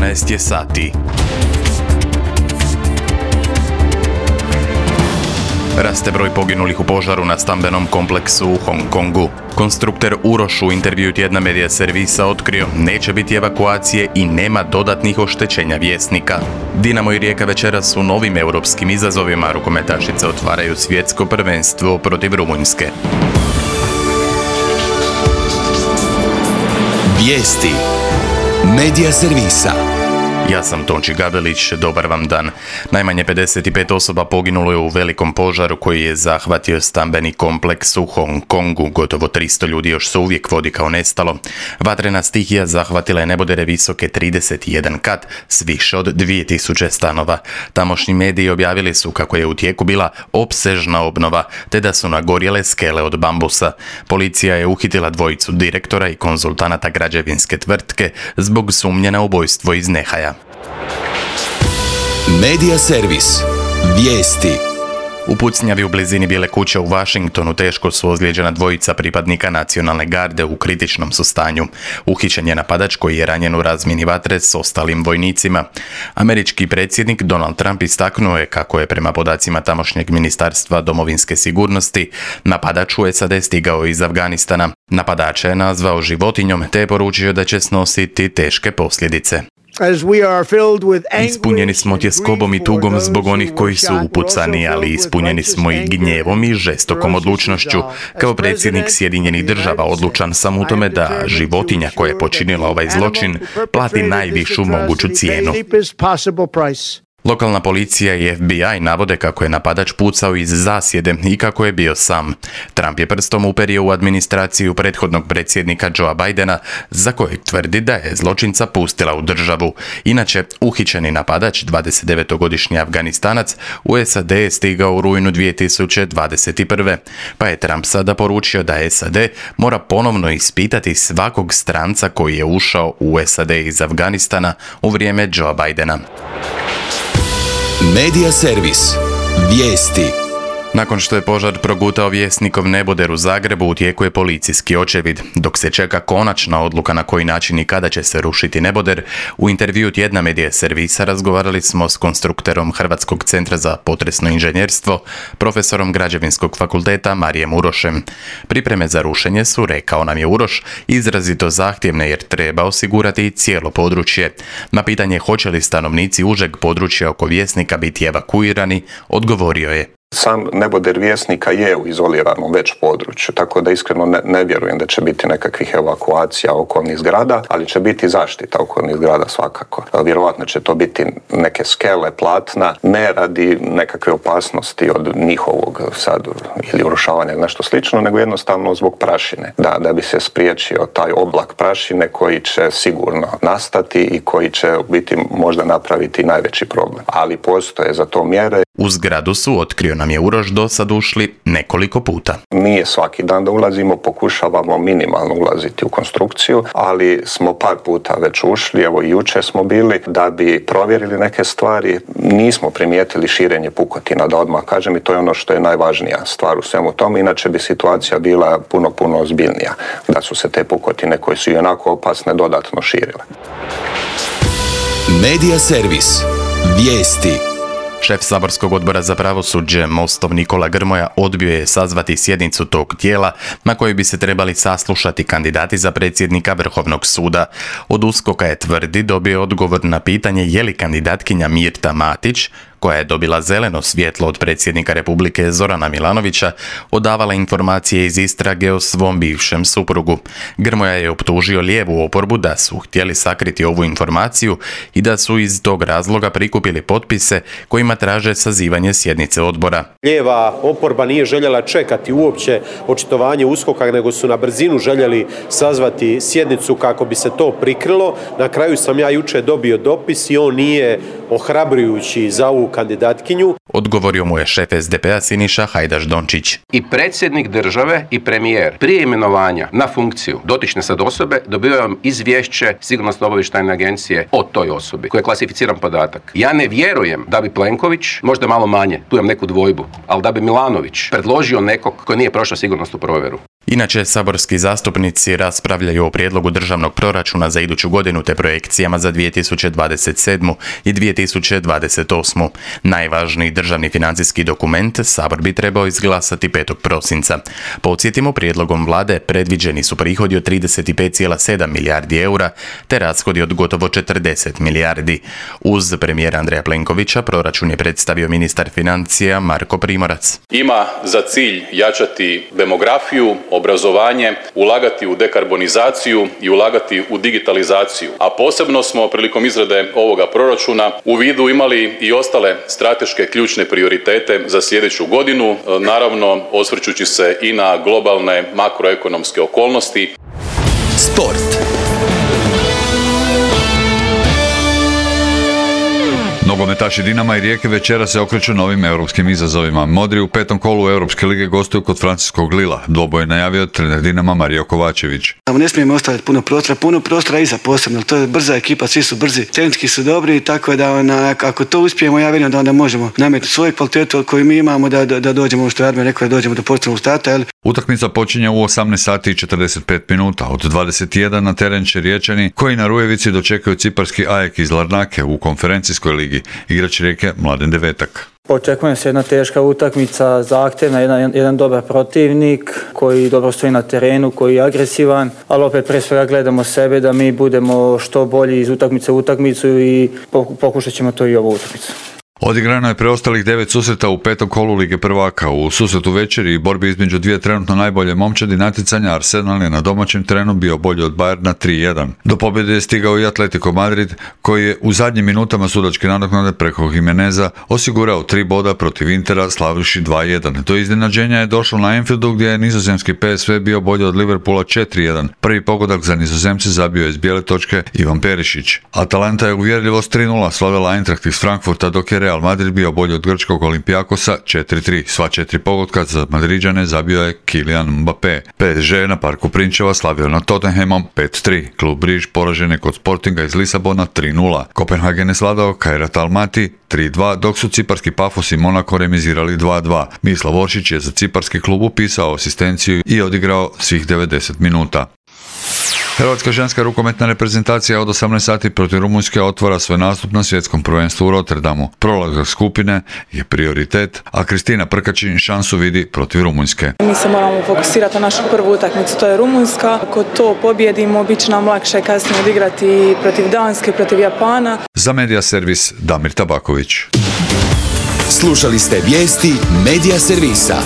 12 je sati. Raste broj poginulih u požaru na stambenom kompleksu u Hong Kongu. Konstruktor Uroš u intervju tjedna Medija servisa otkrio neće biti evakuacije i nema dodatnih oštećenja Vjesnika. Dinamo i Rijeka večeras su novim europskim izazovima, rukometašice otvaraju svjetsko prvenstvo protiv Rumunjske. Vijesti Medija servisa. Ja sam Tonči Gabelić, dobar vam dan. Najmanje 55 osoba poginulo je u velikom požaru koji je zahvatio stambeni kompleks u Hong Kongu. Gotovo 300 ljudi još se uvijek vodi kao nestalo. Vatrena stihija zahvatila je nebodere visoke 31 kat s više od 2000 stanova. Tamošnji mediji objavili su kako je u tijeku bila opsežna obnova, te da su nagorjele skele od bambusa. Policija je uhitila dvojicu direktora i konzultanata građevinske tvrtke zbog sumnje na ubojstvo iz nehaja. Medija servis. Vijesti. U pucnjavi u blizini Bijele kuće u Washingtonu teško su ozlijeđena dvojica pripadnika nacionalne garde u kritičnom su stanju. Uhićen je napadač koji je ranjen u razmjeni vatre s ostalim vojnicima. Američki predsjednik Donald Trump istaknuo je kako je prema podacima tamošnjeg ministarstva domovinske sigurnosti napadač u SAD stigao iz Afganistana. Napadača je nazvao životinjom te je poručio da će snositi teške posljedice. Ispunjeni smo tjeskobom i tugom zbog onih koji su upucani, ali ispunjeni smo i gnjevom i žestokom odlučnošću. Kao predsjednik Sjedinjenih država odlučan sam u tome da životinja koja je počinila ovaj zločin plati najvišu moguću cijenu. Lokalna policija i FBI navode kako je napadač pucao iz zasjede i kako je bio sam. Trump je prstom uperio u administraciju prethodnog predsjednika Joea Bidena, za kojeg tvrdi da je zločinca pustila u državu. Inače, uhićeni napadač, 29-godišnji Afganistanac, u SAD je stigao u rujnu 2021. Pa je Trump sada poručio da SAD mora ponovno ispitati svakog stranca koji je ušao u SAD iz Afganistana u vrijeme Joea Bidena. Medija servis. Vijesti. Nakon što je požar progutao Vjesnikov neboder u Zagrebu, u tijeku je policijski očevid. Dok se čeka konačna odluka na koji način i kada će se rušiti neboder, u intervju tjedna Medija servisa razgovarali smo s konstruktorom Hrvatskog centra za potresno inženjerstvo, profesorom Građevinskog fakulteta Marijem Urošem. Pripreme za rušenje su, rekao nam je Uroš, izrazito zahtjevne jer treba osigurati cijelo područje. Na pitanje hoće li stanovnici užeg područja oko Vjesnika biti evakuirani, odgovorio je. Sam neboder Vjesnika je u izoliranom već području, tako da iskreno ne vjerujem da će biti nekakvih evakuacija okolnih zgrada, ali će biti zaštita okolnih zgrada svakako. Vjerovatno će to biti neke skele, platna, ne radi nekakve opasnosti od njihovog sad ili urušavanja ili nešto slično, nego jednostavno zbog prašine. Da bi se spriječio taj oblak prašine koji će sigurno nastati i koji će biti možda napraviti najveći problem. Ali postoje za to mjere. U zgradu su, otkrio nam je Uroš, do sad ušli nekoliko puta. Nije svaki dan da ulazimo, pokušavamo minimalno ulaziti u konstrukciju, ali smo par puta već ušli, evo i jučer smo bili, da bi provjerili neke stvari. Nismo primijetili širenje pukotina, da odmah kažem, i to je ono što je najvažnija stvar u svemu tome, inače bi situacija bila puno ozbiljnija, da su se te pukotine koje su i onako opasne dodatno širile. Medija servis. Vijesti. Šef saborskog odbora za pravosuđe Mostov Nikola Grmoja odbio je sazvati sjednicu tog tijela na kojoj bi se trebali saslušati kandidati za predsjednika Vrhovnog suda. Od USKOK-a je tvrdi dobio odgovor na pitanje je li kandidatkinja Mirta Matić, koja je dobila zeleno svjetlo od predsjednika Republike Zorana Milanovića, odavala informacije iz istrage o svom bivšem suprugu. Grmoja je optužio lijevu oporbu da su htjeli sakriti ovu informaciju i da su iz tog razloga prikupili potpise kojima traže sazivanje sjednice odbora. Lijeva oporba nije željela čekati uopće očitovanje USKOK-a, nego su na brzinu željeli sazvati sjednicu kako bi se to prikrilo. Na kraju sam ja jučer dobio dopis i on nije ohrabrujući za ovu kandidatkinju. Odgovorio mu je šef SDP-a Siniša Hajdaš Dončić. I predsjednik države i premijer prije imenovanja na funkciju dotične sad osobe dobivaju izvješće Sigurnosno-obavještajne agencije o toj osobi, koji je klasificiran podatak. Ja ne vjerujem da bi Plenković, možda malo manje, tu imam neku dvojbu, ali da bi Milanović predložio nekog koji nije prošao sigurnosnu provjeru. Inače, saborski zastupnici raspravljaju o prijedlogu državnog proračuna za iduću godinu te projekcijama za 2027. i 2028. Najvažniji državni financijski dokument Sabor bi trebao izglasati 5. prosinca. Podsjetimo, prijedlogom vlade predviđeni su prihodi od 35,7 milijardi eura te rashodi od gotovo 40 milijardi. Uz premijera Andreja Plenkovića proračun je predstavio ministar financija Marko Primorac. Ima za cilj jačati demografiju, obrazovanje, ulagati u dekarbonizaciju i ulagati u digitalizaciju. A posebno smo prilikom izrade ovoga proračuna u vidu imali i ostale strateške ključne prioritete za sljedeću godinu, naravno osvrćući se i na globalne makroekonomske okolnosti. Sport. Nogometaši Dinama i Rijeke večera se okreću novim europskim izazovima. Modri u 5. kolu Europske lige gostuju kod francuskog Lila. Dvoboj je najavio trener Dinama Mario Kovačević. Ne smijemo ostaviti puno prostora iza posebno. To je brza ekipa, svi su brzi, tehnički su dobri, tako da ako to uspijemo, ja vjerujem da onda možemo nametiti svoju kvalitetu koju mi imamo da dođemo, što je Armen rekao, da dođemo do posebnog starta. Utakmica počinje u 18 sati i 45 minuta. Od 21 na teren će Riječani, koji na Rujevici dočekaju ciparski AEK iz Larnake u konferencijskoj ligi. Igrač Rijeke Mladen Devetak. Očekuje se jedna teška utakmica, zahtjevna, jedan dobar protivnik koji dobro stoji na terenu, koji je agresivan, ali opet pre svega gledamo sebe da mi budemo što bolji iz utakmice u utakmicu i pokušat ćemo to i ovu utakmicu. Odigrano je preostalih 9 susreta u 5. kolu Lige prvaka. U susretu večeri i borbi između dvije trenutno najbolje momčadi natjecanja Arsenal je na domaćem terenu bio bolji od Bayerna 3-1. Do pobjede je stigao i Atletico Madrid, koji je u zadnjim minutama sudačke nadoknade preko Jimeneza osigurao 3 boda protiv Intera slavivši 2-1. Do iznenađenja je došlo na Anfieldu gdje je nizozemski PSV bio bolji od Liverpoola 4-1. Prvi pogodak za Nizozemce zabio je iz bijele točke Ivan Perišić. Atalanta je uvjerljivo s 3-0 slavila Eintracht iz Frankfurta, dok je Real Madrid bio bolji od grčkog Olimpijakosa 4-3. Sva 4 pogotka za Madriđane zabio je Kylian Mbappé. PSG na Parku Prinčeva slavio na Tottenhamom 5-3. Klub Briž poražen je kod Sportinga iz Lisabona 3-0. Kopenhagen je svladao Kairat Almaty 3-2, dok su ciparski Pafos i Monako remizirali 2-2. Mislav Oršić je za ciparski klub upisao asistenciju i odigrao svih 90 minuta. Hrvatska ženska rukometna reprezentacija od 18 sati protiv Rumunjske otvara svoj nastup na svjetskom prvenstvu u Rotterdamu. Prolazak skupine je prioritet, a Kristina Prkačin šansu vidi protiv Rumunjske. Mi se moramo fokusirati na našu prvu utakmicu, to je Rumunjska. Ako to pobjedimo, bit će nam lakše kasnije odigrati protiv Danske, protiv Japana. Za Media Servis Damir Tabaković. Slušali ste vijesti Media Servisa.